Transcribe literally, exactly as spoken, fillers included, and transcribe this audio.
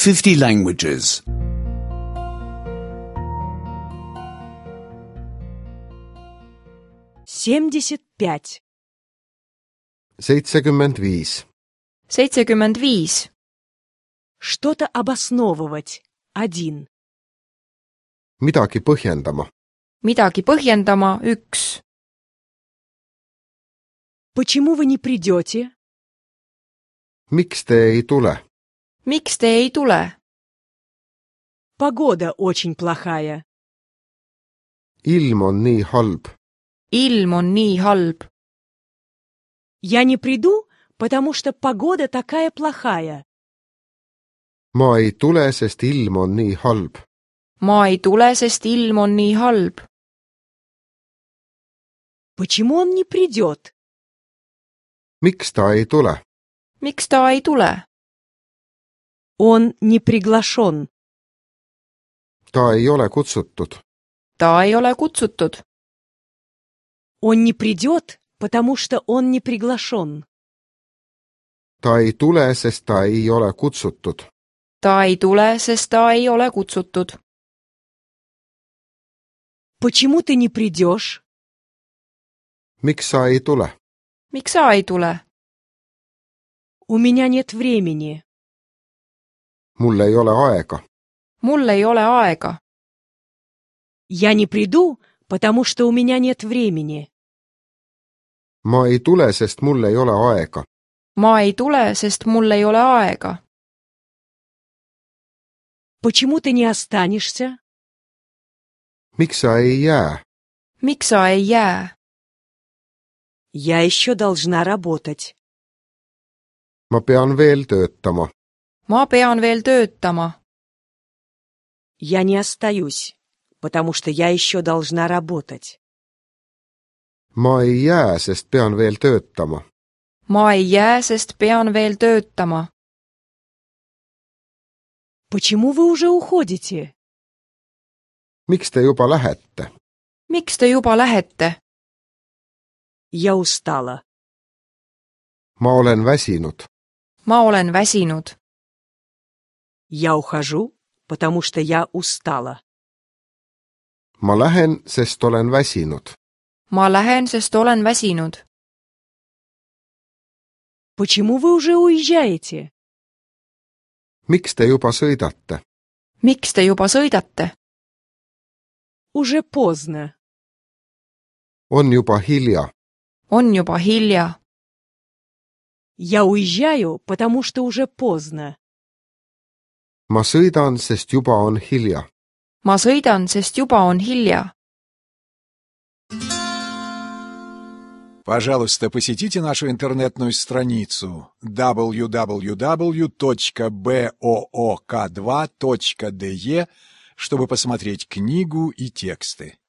fifty languages. семьдесят пять. seitsekümmend viis. seitsekümmend viis. Что-то обосновывать. Один. midagi põhjendama. Midagi põhjendama. üks. Почему вы не придете? miks te ei tule? Miks te ei tule? Погода очень плохая. ilm on nii halb. Ilm on nii halb. Я не приду, потому что погода такая плохая. ma ei tule, sest ilm on nii halb. Ma ei tule, sest ilm on nii halb. Почему он не придет? miks ta ei tule? Miks ta ei tule? Он не приглашен. ta ei ole kutsutud. Ta ei ole kutsutud. Он не придет, потому что он не приглашен. ta ei tule, sest ta ei ole kutsutud. Ta ei tule, sest ta ei ole kutsutud. Почему ты не придешь? miks sa ei tule? Miks sa ei tule? У меня нет времени. mul ei ole aega. Mul ei ole aega. Я не приду, потому что у меня нет времени. ma ei tule, sest mul ei ole aega. Ma ei tule, sest mul ei ole aega. Почему ты не останешься? miks sa ei jää? Miks sa ei jää? Я еще должна работать. ma pean veel töötama. Ma pean veel töötama. Я не остаюсь, потому что я еще должна работать. ma ei jää, sest pean veel töötama. Ma ei jää, sest pean veel töötama. Почему вы уже уходите? miks te juba lähete? Miks te juba lähete? Я устала. ma olen väsinud. Ma olen väsinud. Я ухожу, потому что я устала. ma lähen, sest olen väsinud. Ma lähen, sest olen väsinud. Почему вы уже уезжаете? miks te juba sõidate? Miks te juba sõidate? Уже поздно. on juba hilja. On juba hilja. Я уезжаю, потому что уже поздно. ma sõidan, sest juba on hilja. Ma sõidan, sest juba on hilja. Пожалуйста, посетите нашу интернетную страницу дабл ю дабл ю дабл ю точка боок два точка де, чтобы посмотреть книгу и тексты.